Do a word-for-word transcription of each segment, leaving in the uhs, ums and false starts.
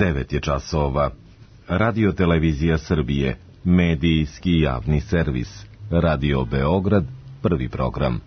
devet je časova. Radio Televizija Srbije, medijski javni servis. Radio Beograd, prvi program.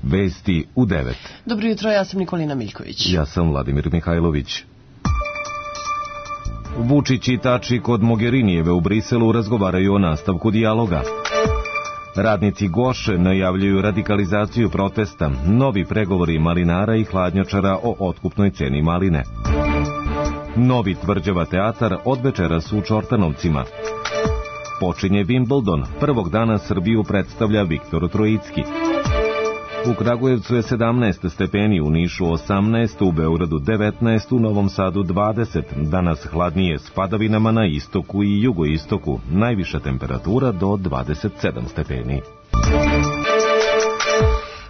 Vesti u devet. Dobro jutro, ja sam Nikolina Miljković. Ja sam Vladimir Mihajlović. Vučić i Tači kod Mogherinijeve u Briselu razgovaraju o nastavku dijaloga. Radnici Goše najavljuju radikalizaciju protesta, novi pregovori malinara i hladnjačara o otkupnoj ceni maline. Novi Tvrđava teatar od večeras u Čortanovcima. Počinje Wimbledon, prvog dana Srbiju predstavlja Viktor Trojicki. U Kragujevcu je sedamnaest stepeni, u Nišu osamnaest, u Beogradu devetnaest, u Novom Sadu dvadeset. Danas hladnije s padavinama na istoku i jugoistoku. Najviša temperatura do dvadeset sedam stepeni.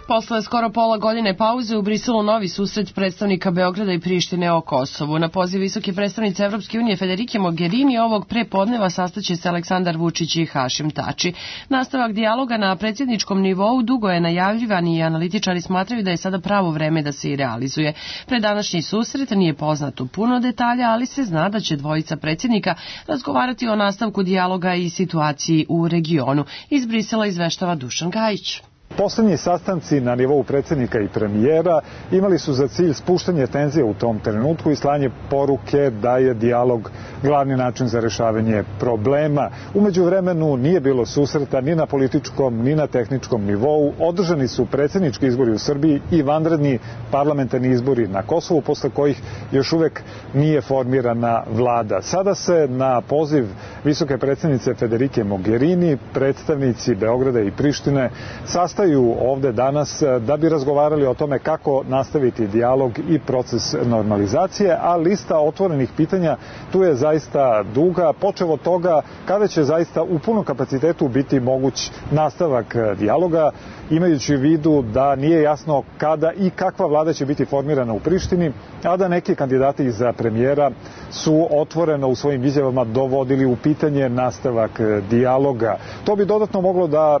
Posle skoro pola godine pauze u Briselu novi susret predstavnika Beograda i Prištine o Kosovu. Na poziv visoke predstavnice Evropske unije Federike Mogherini ovog prepodneva sastaće se Aleksandar Vučić i Hašim Tači. Nastavak dijaloga na predsjedničkom nivou dugo je najavljivan i analitičari smatraju da je sada pravo vreme da se i realizuje. Pred današnji susret nije poznato puno detalja, ali se zna da će dvojica predsjednika razgovarati o nastavku dijaloga i situaciji u regionu. Iz Brisela izveštava Dušan Gajić. Poslednji sastanci na nivou predsjednika i premijera imali su za cilj spuštanje tenzije u tom trenutku i slanje poruke da je dijalog glavni način za rešavanje problema. Umeđu vremenu nije bilo susreta ni na političkom ni na tehničkom nivou. Održani su predsjednički izbori u Srbiji i vanredni parlamentarni izbori na Kosovu, posle kojih još uvek nije formirana vlada. Sada se na poziv visoke predsjednice Federike Mogherini predstavnici Beograda i Prištine sastaju ovde danas da bi razgovarali o tome kako nastaviti dijalog i proces normalizacije, a lista otvorenih pitanja tu je zaista duga, počev od toga kada će zaista u punom kapacitetu biti moguć nastavak dijaloga, imajući u vidu da nije jasno kada i kakva vlada će biti formirana u Prištini, a da neki kandidati za premijera su otvoreno u svojim izjavama dovodili u pitanje nastavak dijaloga. To bi dodatno moglo da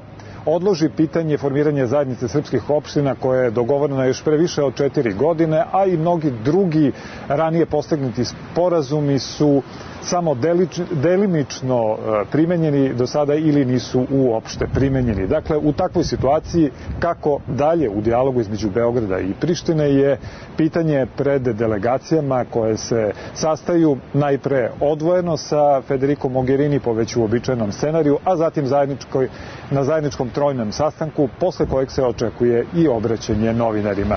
odloži pitanje formiranja zajednice srpskih opština koje je dogovoreno još pre više od četiri godine, a i mnogi drugi ranije postignuti sporazumi su samo delič, delimično primenjeni do sada ili nisu uopšte primenjeni. Dakle, u takvoj situaciji kako dalje u dijalogu između Beograda i Prištine je pitanje pred delegacijama koje se sastaju najpre odvojeno sa Federikom Mogherini po već uobičajenom scenariju, a zatim zajedničkoj, na zajedničkom trojnom sastanku, posle kojeg se očekuje i obraćanje novinarima.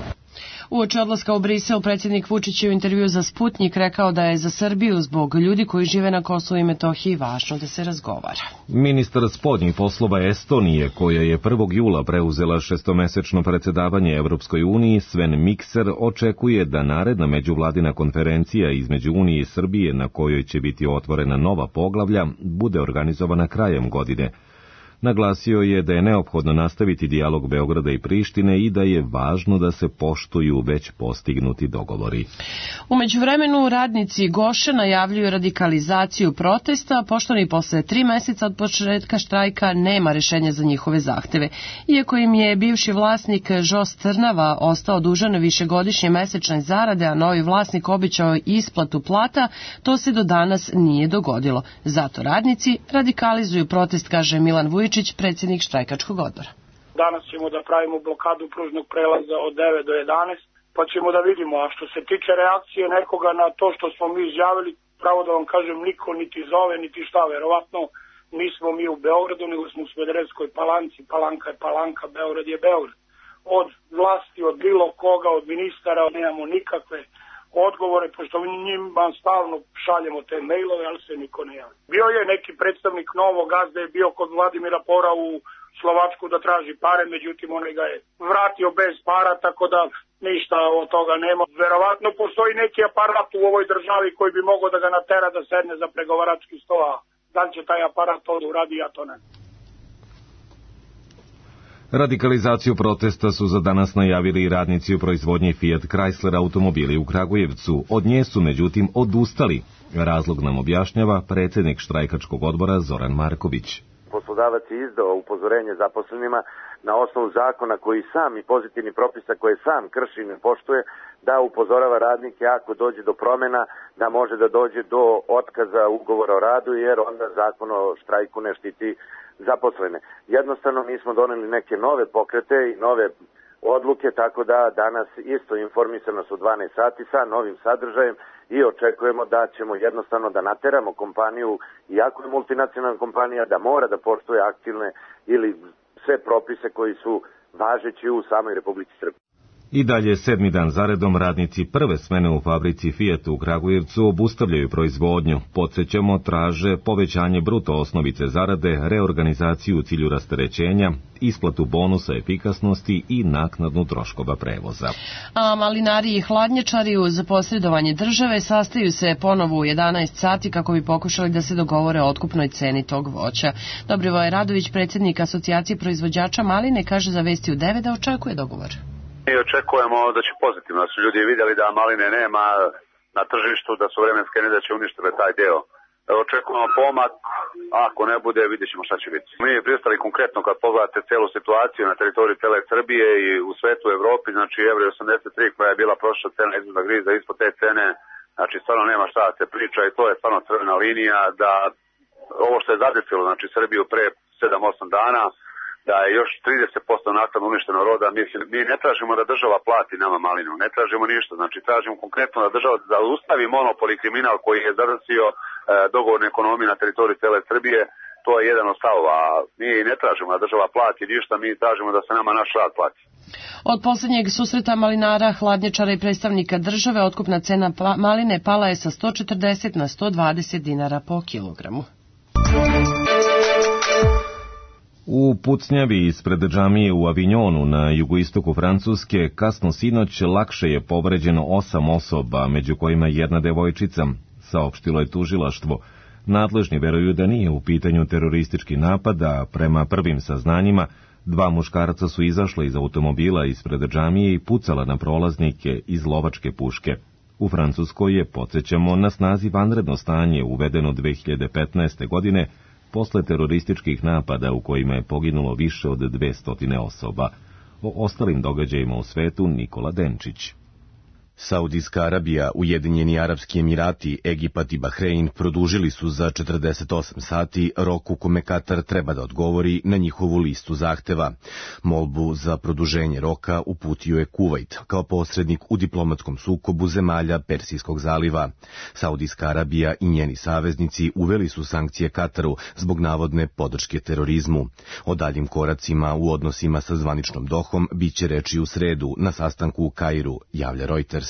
Uoči odlaska u Brisel, predsjednik Vučić je u intervju za Sputnjik rekao da je za Srbiju zbog ljudi koji žive na Kosovu i Metohiji važno da se razgovara. Ministar spoljnih poslova Estonije, koja je prvog jula preuzela šestomesečno predsjedavanje Evropskoj uniji, Sven Mikser, očekuje da naredna međuvladina konferencija između Unije i Srbije, na kojoj će biti otvorena nova poglavlja, bude organizovana krajem godine. Naglasio je da je neophodno nastaviti dijalog Beograda i Prištine i da je važno da se poštuju već postignuti dogovori. U međuvremenu radnici Goše najavljuju radikalizaciju protesta, pošto ni posle tri meseca od početka štrajka nema rešenja za njihove zahteve. Iako im je bivši vlasnik Žos Trnava ostao dužan višegodišnje mesečne zarade, a novi vlasnik obećao isplatu plata, to se do danas nije dogodilo. Zato radnici radikalizuju protest, kaže Milan Vujičić, predsjednik štrajkačkog odbora. Danas ćemo da pravimo blokadu pružnog prelaza od devet do jedanaest, pa ćemo da vidimo. A što se tiče reakcije nekoga na to što smo mi izjavili, pravo da vam kažem, niko niti zove, niti šta. Verovatno nismo mi u Beogradu, nego smo u Smederevskoj Palanci. Palanka je Palanka, Beograd je Beograd. Od vlasti, od bilo koga, od ministara nemamo nikakve odgovore, pošto njima stalno šaljemo te mailove, ali se niko ne javi. Bio je neki predstavnik Novog Gazde, je bio kod Vladimira Pora u Slovačku da traži pare, međutim on ga je vratio bez para, tako da ništa od toga nema. Verovatno postoji neki aparat u ovoj državi koji bi mogao da ga natera da sedne za pregovarački sto, a da li će taj aparat to uradi, ja to ne. Radikalizaciju protesta su za danas najavili i radnici u proizvodnji Fiat Chrysler automobili u Kragujevcu. Od nje su međutim odustali. Razlog nam objašnjava predsjednik štrajkačkog odbora Zoran Marković. Poslodavac je izdao upozorenje zaposlenima na osnovu zakona koji sam i pozitivni propisa koje sam krši i ne poštuje, da upozorava radnike ako dođe do promjena, da može da dođe do otkaza ugovora o radu, jer onda zakon o štrajku ne štiti zaposlene. Jednostavno mi smo doneli neke nove pokrete i nove odluke, tako da danas isto informisanost u dvanaest sati sa novim sadržajem i očekujemo da ćemo jednostavno da nateramo kompaniju, iako je multinacionalna kompanija, da mora da poštuje aktivne ili sve propise koji su važeći u samoj Republici Srbiji. I dalje sedmi dan zaredom radnici prve smene u fabrici Fijata u Kragujevcu obustavljaju proizvodnju. Podsjećamo, traže povećanje bruto osnovice zarade, reorganizaciju u cilju rasterećenja, isplatu bonusa efikasnosti i naknadnu troškova prevoza. A malinari i hladnjačari uz posredovanje države sastaju se ponovo u jedanaest sati kako bi pokušali da se dogovore o otkupnoj ceni tog voća. Dobrivoje Radović, predsjednik Asocijacije proizvođača maline, kaže za Vesti u devet da očekuje dogovor. Mi očekujemo da će pozitivno, da su ljudi vidjeli da maline nema na tržištu, da su vremenske nedaće uništile taj deo. Očekujemo pomak, ako ne bude, vidjet ćemo šta će biti. Mi je pristali konkretno kad pogledate celu situaciju na teritoriji cele Srbije i u svetu u Evropi, znači evro osamdeset tri koja je bila prošla cena izvoza griza, ispod te cene, znači stvarno nema šta da se priča i to je stvarno crvena linija da ovo što je zadesilo, znači Srbiju pre sedam osam dana, da je još trideset posto naknadno uništeno roda, mi, mi ne tražimo da država plati nama malinu, ne tražimo ništa, znači tražimo konkretno da država da ustavi monopol i kriminal koji je zadesio e, dogovorne ekonomije na teritoriji cele Srbije, to je jedan od stavova, a mi ne tražimo da država plati ništa, mi tražimo da se nama naš rad plati. Od posljednjeg susreta malinara, hladnjačara i predstavnika države, otkupna cena maline pala je sa sto četrdeset na sto dvadeset dinara po kilogramu. U pucnjavi ispred džamije u Avignonu na jugoistoku Francuske kasno sinoć lakše je povređeno osam osoba, među kojima jedna devojčica, saopštilo je tužilaštvo. Nadležni veruju da nije u pitanju teroristički napad, a prema prvim saznanjima dva muškarca su izašla iz automobila ispred džamije i pucala na prolaznike iz lovačke puške. U Francuskoj je, podsjećamo, na snazi vanredno stanje uvedeno dve hiljade petnaeste. godine, posle terorističkih napada u kojima je poginulo više od dvesta osoba. O ostalim događajima u svetu Nikola Denčić. Saudijska Arabija, Ujedinjeni Arapski Emirati, Egipat i Bahrein produžili su za četrdeset osam sati rok u kome Katar treba da odgovori na njihovu listu zahteva. Molbu za produženje roka uputio je Kuvajt kao posrednik u diplomatskom sukobu zemalja Persijskog zaliva. Saudijska Arabija i njeni saveznici uveli su sankcije Kataru zbog navodne podrške terorizmu. O daljim koracima u odnosima sa zvaničnom Dohom biće reči u sredu na sastanku u Kairu, javlja Reuters.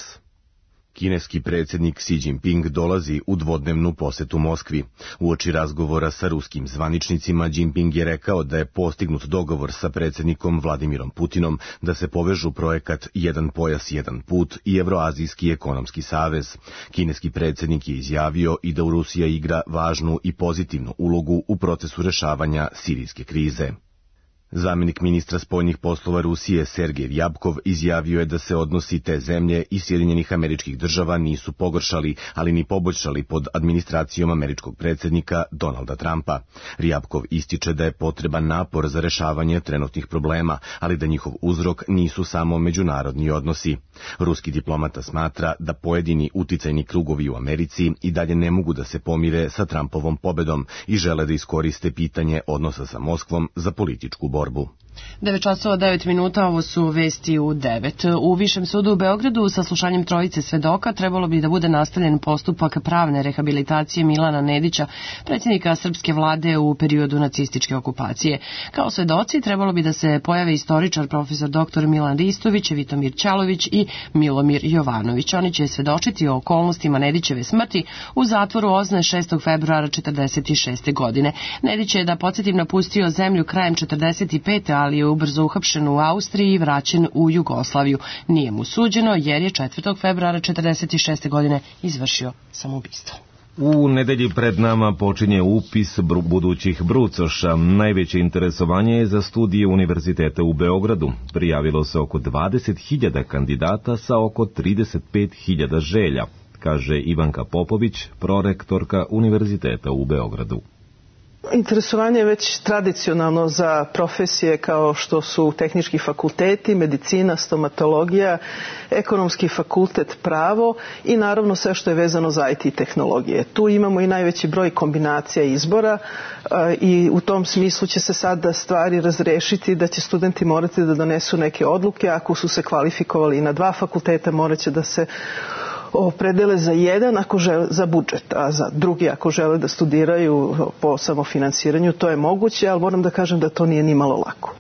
Kineski predsjednik Xi Jinping dolazi u dvodnevnu posetu Moskvi. Uoči razgovora sa ruskim zvaničnicima, Jinping je rekao da je postignut dogovor sa predsjednikom Vladimirom Putinom da se povežu projekat Jedan pojas, jedan put i Evroazijski ekonomski savez. Kineski predsjednik je izjavio i da Rusija igra važnu i pozitivnu ulogu u procesu rešavanja sirijske krize. Zamjenik ministra spoljnih poslova Rusije Sergej Ryabkov izjavio je da se odnosi te zemlje i Sjedinjenih Američkih Država nisu pogoršali, ali ni poboljšali pod administracijom američkog predsjednika Donalda Trumpa. Ryabkov ističe da je potreban napor za rešavanje trenutnih problema, ali da njihov uzrok nisu samo međunarodni odnosi. Ruski diplomata smatra da pojedini uticajni krugovi u Americi i dalje ne mogu da se pomire sa Trumpovom pobedom i žele da iskoriste pitanje odnosa sa Moskvom za političku borbu. devet časova devet minuta, ovo su Vesti u devet. U Višem sudu u Beogradu sa slušanjem trojice svedoka trebalo bi da bude nastavljen postupak pravne rehabilitacije Milana Nedića, predsjednika srpske vlade u periodu nacističke okupacije. Kao svedoci trebalo bi da se pojave istoričar profesor doktor Milan Ristović, Vitomir Ćalović i Milomir Jovanović. Oni će svedočiti o okolnostima Nedićeve smrti u zatvoru Ozne šestog februara četrdeset šeste. godine. Nedić je, da podsjetim, napustio zemlju krajem četrdeset pete. ali je ubrzo uhapšen u Austriji i vraćen u Jugoslaviju. Nije mu suđeno jer je četvrtog februara četrdeset šeste. godine izvršio samoubistvo. U nedelji pred nama počinje upis budućih brucoša. Najveće interesovanje je za studije Univerziteta u Beogradu. Prijavilo se oko dvadeset hiljada kandidata sa oko trideset pet hiljada želja, kaže Ivanka Popović, prorektorka Univerziteta u Beogradu. Interesovanje je već tradicionalno za profesije kao što su tehnički fakulteti, medicina, stomatologija, ekonomski fakultet, pravo i naravno sve što je vezano za I T tehnologije. Tu imamo i najveći broj kombinacija izbora i u tom smislu će se sada stvari razrešiti da će studenti morati da donesu neke odluke. Ako su se kvalifikovali i na dva fakulteta, morat će da se opredele za jedan ako žele, za budžet, a za drugi ako žele da studiraju po samofinansiranju, to je moguće, ali moram da kažem da to nije ni malo lako.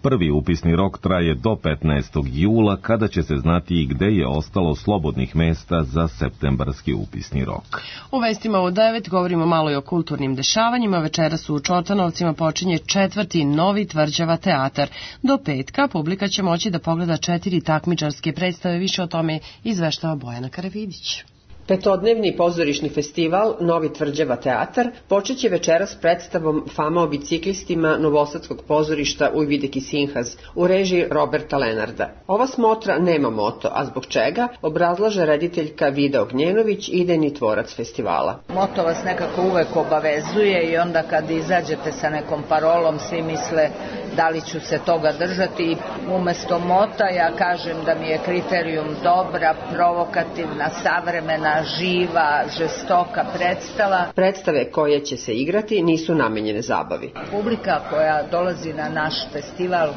Prvi upisni rok traje do petnaestog jula, kada će se znati i gde je ostalo slobodnih mesta za septembarski upisni rok. U vestima u devet govorimo malo i o kulturnim dešavanjima. Večeras u Čortanovcima počinje četvrti Novi Tvrđava teatar. Do petka publika će moći da pogleda četiri takmičarske predstave. Više o tome izveštava Bojana Karavidić. Petodnevni pozorišni festival Novi Tvrđava teatar počeće večeras predstavom Fama o biciklistima Novosadskog pozorišta Ujvideki Sinhaz u režiji Roberta Lenarda. Ova smotra nema moto, a zbog čega obrazlaže rediteljka Vida Ognjenović, idejni tvorac festivala. Moto vas nekako uvek obavezuje i onda kad izađete sa nekom parolom svi misle da li ću se toga držati. Umesto mota ja kažem da mi je kriterijum dobra, provokativna, savremena, živa, žestoka predstava. Predstave koje će se igrati nisu namenjene zabavi. Publika koja dolazi na naš festival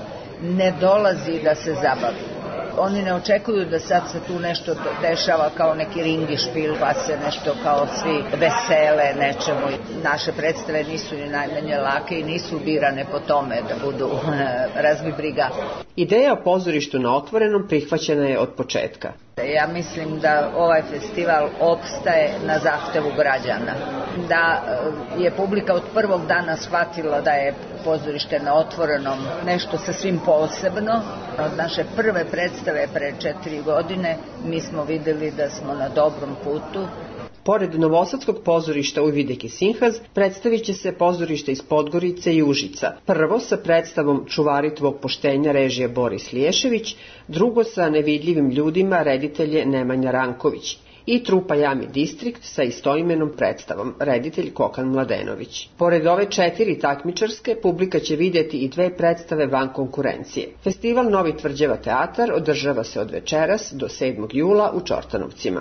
ne dolazi da se zabavi. Oni ne očekuju da sad se tu nešto dešava kao neki ringi špil, pa se nešto kao svi vesele nečemu. Naše predstave nisu ni najmanje lake i nisu birane po tome da budu razbi briga. Ideja o pozorištu na otvorenom prihvaćena je od početka. Ja mislim da ovaj festival opstaje na zahtevu građana. Da je publika od prvog dana shvatila da je pozorište na otvorenom nešto sasvim posebno. Od naše prve predstave pre četiri godine mi smo videli da smo na dobrom putu. Pored Novosadskog pozorišta Ujvideki Sinhaz predstavit će se pozorište iz Podgorice i Užica. Prvo sa predstavom Čuvari tvog poštenja režije Boris Liješević, drugo sa Nevidljivim ljudima reditelje Nemanja Ranković i trupa Jami Distrikt sa istoimenom predstavom, reditelj Kokan Mladenović. Pored ove četiri takmičarske, publika će vidjeti i dve predstave van konkurencije. Festival Novi Tvrđava teatar održava se od večeras do sedmog jula u Čortanovcima.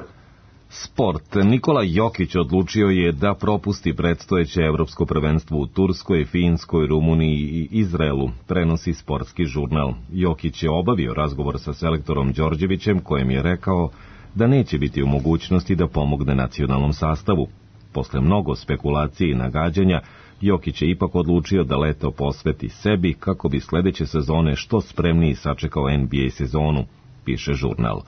Sport. Nikola Jokić odlučio je da propusti predstojeće evropsko prvenstvo u Turskoj, Finskoj, Rumuniji i Izraelu, prenosi sportski žurnal. Jokić je obavio razgovor sa selektorom Đorđevićem, kojem je rekao da neće biti u mogućnosti da pomogne nacionalnom sastavu. Posle mnogo spekulacije i nagađanja, Jokić je ipak odlučio da leto posveti sebi kako bi sledeće sezone što spremniji sačekao N B A sezonu, piše žurnal.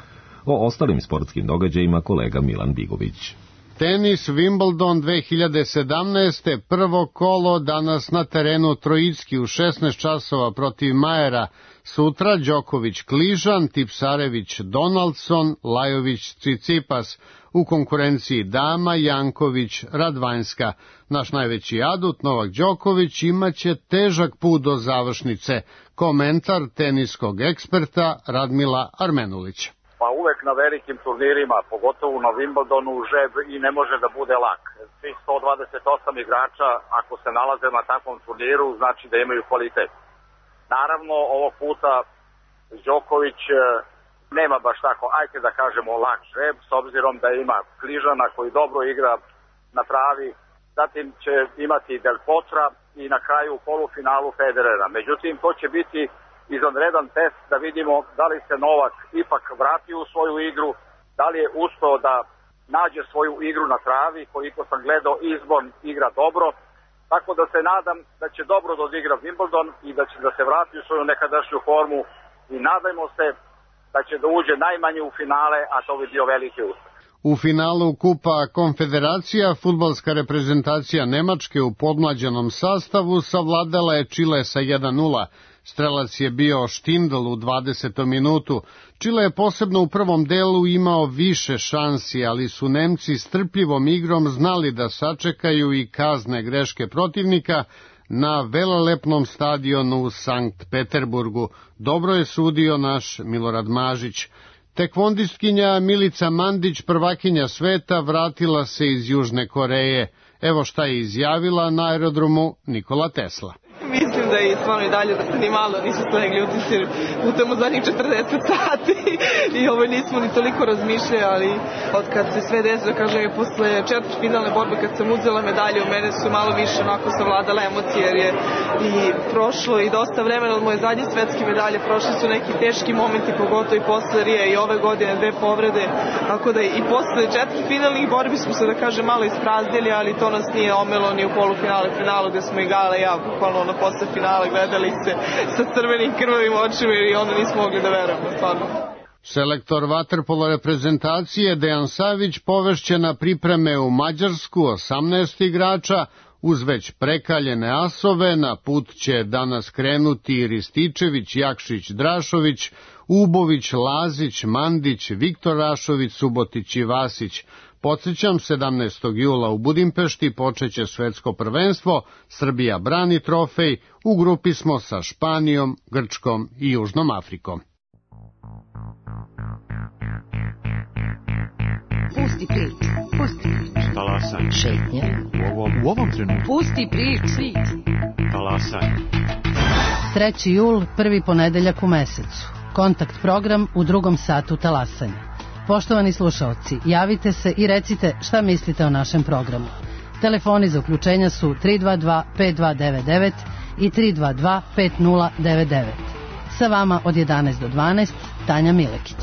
O ostalim sportskim događajima kolega Milan Bigović. Tenis Wimbledon dve hiljade sedamnaeste. Prvo kolo danas na terenu Trojicki u šesnaest časova protiv Majera. Sutra Đoković Kližan, Tipsarević Donaldson, Lajović Cicipas. U konkurenciji dama Janković Radvanjska. Naš najveći adut Novak Đoković imaće težak put do završnice. Komentar teniskog eksperta Radmila Armenulića. Pa uvek na velikim turnirima, pogotovo na Wimbledonu, žeb i ne može da bude lak. Svih sto dvadeset osam igrača, ako se nalaze na takvom turniru, znači da imaju kvalitet. Naravno, ovog puta Đoković nema baš tako, ajte da kažemo, lak žeb, s obzirom da ima Kližana koji dobro igra na travi, zatim će imati Del Potra i na kraju u polufinalu Federera. Međutim, to će biti izvanredan test da vidimo da li se Novak ipak vratio u svoju igru, da li je uspeo da nađe svoju igru na travi, koliko sam gledao izbor igra dobro, tako da se nadam da će dobro da odigra Wimbledon i da će da se vrati u svoju nekadašnju formu i nadajmo se da će da uđe najmanje u finale, a to bi bio veliki uspeh. U finalu Kupa Konfederacija fudbalska reprezentacija Nemačke u podmlađenom sastavu savladala je Čile sa jedan nula. Strelac je bio Štindl u dvadesetom minutu. Čile je posebno u prvom delu imao više šansi, ali su Nemci strpljivom igrom znali da sačekaju i kazne greške protivnika na velelepnom stadionu u Sankt Peterburgu. Dobro je sudio naš Milorad Mažić. Tekvondistkinja Milica Mandić, prvakinja sveta, vratila se iz Južne Koreje. Evo šta je izjavila na aerodromu Nikola Tesla. Mislim da je stvarno i dalje da se ni malo nisu slegli utisci putem u zadnjih četrdeset sati i ovo nismo ni toliko razmišljali, ali od kad se sve desilo, kažem, je posle četvrt finalne borbe kad sam uzela medalje, u mene su malo više onako savladale emocije, jer je i prošlo i dosta vremena od moje zadnje svetske medalje, prošli su neki teški momenti, pogotovo i posle Rije i ove godine dve povrede, tako da i posle četvrt finalnih borbi smo se, da kažem, malo ispraznili, ali to nas nije omelo ni u polufinale, finalu gde smo igale ja, bukvalno ono posle finala gledali se sa crvenim krvavim očima i onda nismo mogli da verujemo, stvarno. Selektor vaterpolo reprezentacije Dejan Savić povešće na pripreme u Mađarsku osamnaest igrača, uz već prekaljene asove. Na put će danas krenuti Rističević, Jakšić, Drašović, Ubović, Lazić, Mandić, Viktor Rašović, Subotić i Vasić. Podsjećam, sedamnaestog jula u Budimpešti počeće svetsko prvenstvo, Srbija brani trofej, u grupi smo sa Španijom, Grčkom i Južnom Afrikom. Pusti priču, pusti priču. Talasaj. Šetnja. U ovom, u ovom trenutku. Pusti priču. Talasaj. treći jul, prvi ponedeljak u mesecu. Kontakt program u drugom satu talasanja. Poštovani slušaoci, javite se i recite šta mislite o našem programu. Telefoni za uključenja su tri dva dva pet dva devet devet i tri dva dva pet nula devet devet. Sa vama od jedanaest do dvanaest, Tanja Milekić.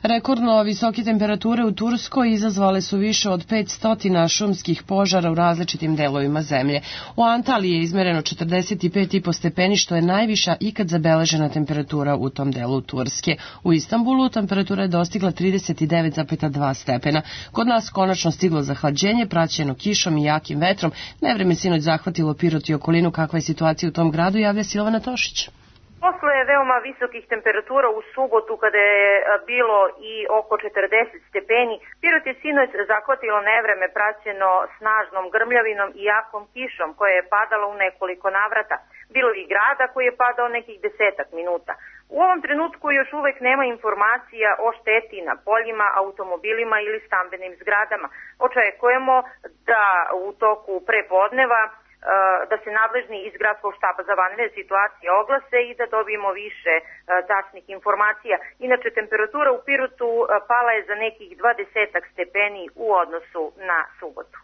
Rekordno visoke temperature u Turskoj izazvale su više od petsto šumskih požara u različitim delovima zemlje. U Antaliji je izmereno četrdeset pet i po stepeni, što je najviša ikad zabeležena temperatura u tom delu Turske. U Istanbulu temperatura je dostigla trideset devet zarez dva stepena. Kod nas konačno stiglo zahlađenje, praćeno kišom i jakim vetrom. Nevreme sinoć zahvatilo Pirot i okolinu. Kakva je situacija u tom gradu, javlja Silvana Tošić. Posle veoma visokih temperatura u subotu, kada je bilo i oko četrdeset stepeni, Pirot je sinoć zahvatilo nevreme praćeno snažnom grmljavinom i jakom kišom koja je padala u nekoliko navrata. Bilo i grada koji je padao nekih desetak minuta. U ovom trenutku još uvek nema informacija o šteti na poljima, automobilima ili stambenim zgradama. Očekujemo da u toku prepodneva da se nadležni iz Gradskog štaba za vanredne situacije oglase i da dobijemo više tačnih informacija. Inače, temperatura u Pirotu pala je za nekih dvadesetak stepeni u odnosu na subotu.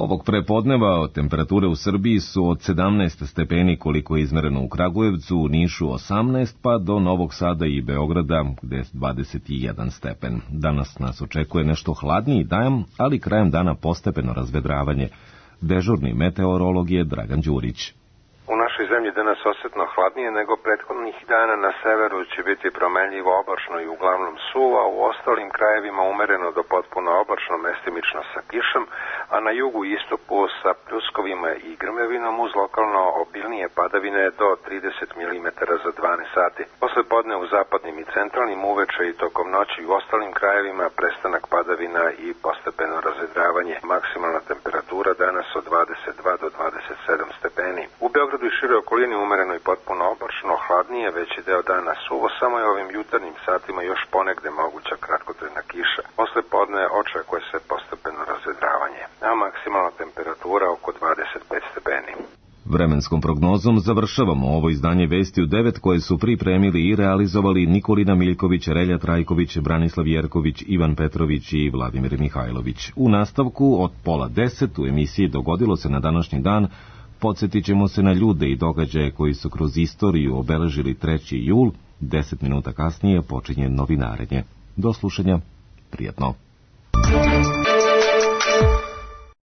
Ovog prepodneva temperature u Srbiji su od sedamnaest stepeni koliko je izmereno u Kragujevcu, u Nišu osamnaest, pa do Novog Sada i Beograda gde je dvadeset jedan stepen. Danas nas očekuje nešto hladniji dan, ali krajem dana postepeno razvedravanje. Dežurni meteorolog je Dragan Đurić. U našoj zemlji danas osetno hladnije nego prethodnih dana. Na severu će biti promenljivo oblačno i uglavnom suvo, a u ostalim krajevima umereno do potpuno oblačno, mestimično sa kišom, a na jugu i istoku sa pljuskovima i grmljavinom uz lokalno obilnije padavine do trideset milimetara za dvanaest sati. Posle podne u zapadnim i centralnim, uveče i tokom noći u ostalim krajevima prestanak padavina i postepeno razvedravanje. Maksimalna temperatura danas od dvadeset dva do dvadeset sedam stepeni. U Beogradu i šire okolini umereno i potpuno oblačno, hladnije, veći deo dana suvo, samo je ovim jutarnjim satima još ponegde moguća kratkotrajna kiša. Posle podne očekuje se postepeno razvedravanje, a maksimalna temperatura oko dvadeset pet stepeni. Vremenskom prognozom završavamo ovo izdanje Vesti u devet koje su pripremili i realizovali Nikolina Miljković, Relja Trajković, Branislav Jerković, Ivan Petrović i Vladimir Mihajlović. U nastavku od pola deset u emisiji Dogodilo se na današnji dan podsjetit ćemo se na ljude i događaje koji su kroz istoriju obeležili treći jul. Deset minuta kasnije počinje novinarenje. Do slušanja, prijatno.